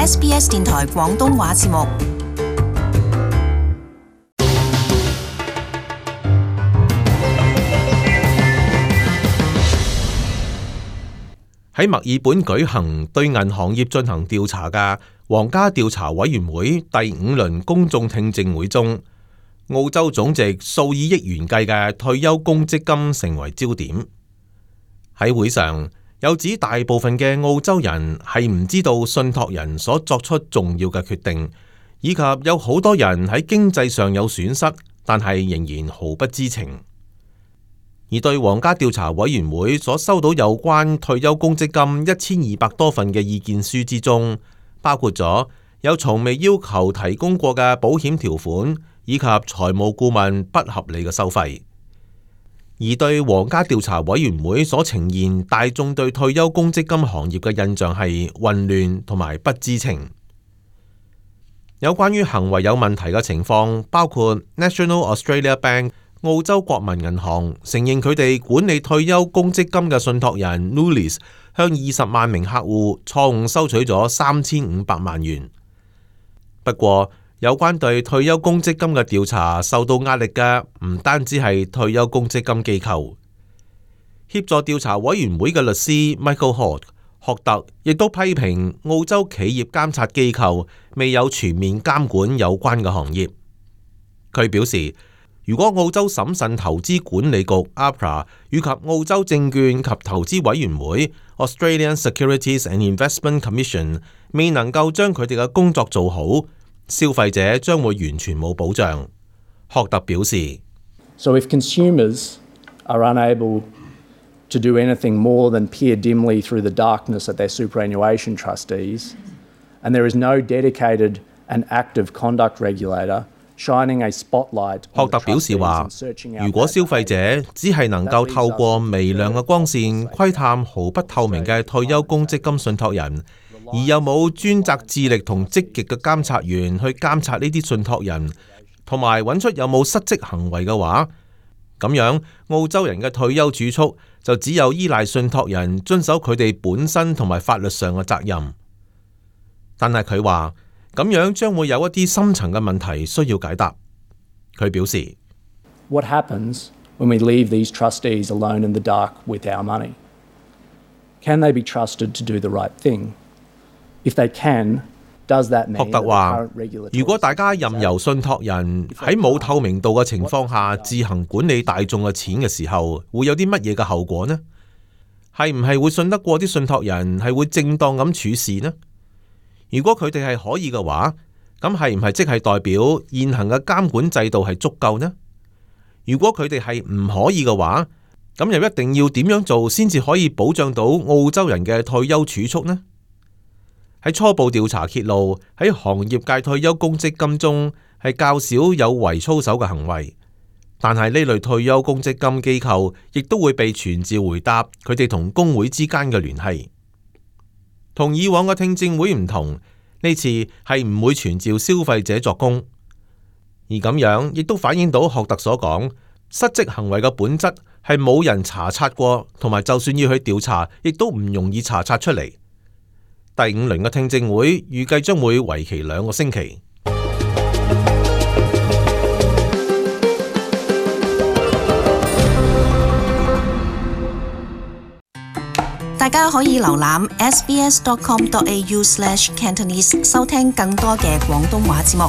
SBS 電台廣東話節目。喺墨爾本舉行對銀行業進行調查嘅皇家調查委員會第5輪公眾聽證會中，澳洲總值數以億元計嘅退休公積金成為焦點。喺會上有指大部分嘅澳洲人係唔知道信託人所作出重要嘅決定，以及有好多人喺經濟上有損失，但係仍然毫不知情。而對皇家調查委員會所收到有關退休公積金1200多份嘅意見書之中，包括咗有從未要求提供過嘅保險條款，以及財務顧問不合理嘅收費。而對皇家調查委員會所呈現大眾對退休公積金行業嘅印象係混亂同埋不知情。有關於行為有問題嘅情況，包括 National Australia Bank 澳洲國民銀行承認佢哋管理退休公積金嘅信託人 Nulis 向20萬名客戶錯誤收取咗3500萬元。不過，有關對退休公積金嘅調查受到壓力嘅唔單止係退休公積金機構，協助調查委員會嘅律師 Michael 霍特亦都批評澳洲企業監察機構未有全面監管有關嘅行業。佢表示，如果澳洲審慎投資管理局 APRA 以及澳洲證券及投資委員會 Australian Securities and Investment Commission 未能夠將佢哋嘅工作做好，消費者將會完全冇保障。霍特表示 So if consumers are unable to do anything more than peer dimly through the darkness at their superannuation trustees, and there is no dedicated and active conduct regulator shining a spotlight on the trustees and searching out。霍特表示話，如果消費者只係能夠透過微亮嘅光線窺探毫不透明嘅退休公積金信託人，而又冇專責致力同積極嘅監察員去監察呢啲信託人，同埋揾出有冇失職行為嘅話，咁樣澳洲人嘅退休儲蓄就只有依賴信託人遵守佢哋本身同埋法律上嘅責任。但係佢話咁樣將會有一啲深層嘅問題需要解答。佢表示 What happens when we leave these trustees alone in the dark with our money? Can they be trusted to do the right thing?If they can, does that mean 霍特話，如果大家任由信託人喺冇透明度嘅情況下自行管理大眾嘅錢嘅時候，會有啲乜嘢嘅後果呢？係唔係會信得過啲信託人係會正當咁處事呢？如果佢哋係可以嘅話，咁係唔係即係代表現行嘅監管制度係足夠呢？如果佢哋係唔可以嘅話，咁又一定要點樣做先至可以保障到澳洲人嘅退休儲蓄呢？喺初步調查揭露，喺行業界退休公積金中係較少有違操守嘅行為，但係呢類退休公積金機構亦都會被傳召回答佢哋同工會之間嘅聯繫。同以往嘅聽證會唔同，呢次係唔會傳召消費者作供，而咁樣亦都反映到霍特所講失職行為嘅本質係冇人查察過，同埋就算要去調查，亦都唔容易查察出嚟。第5輪嘅聽證會預計將會為期2個星期。大家可以瀏覽 sbs.com.au/Cantonese 收聽更多嘅廣東話節目。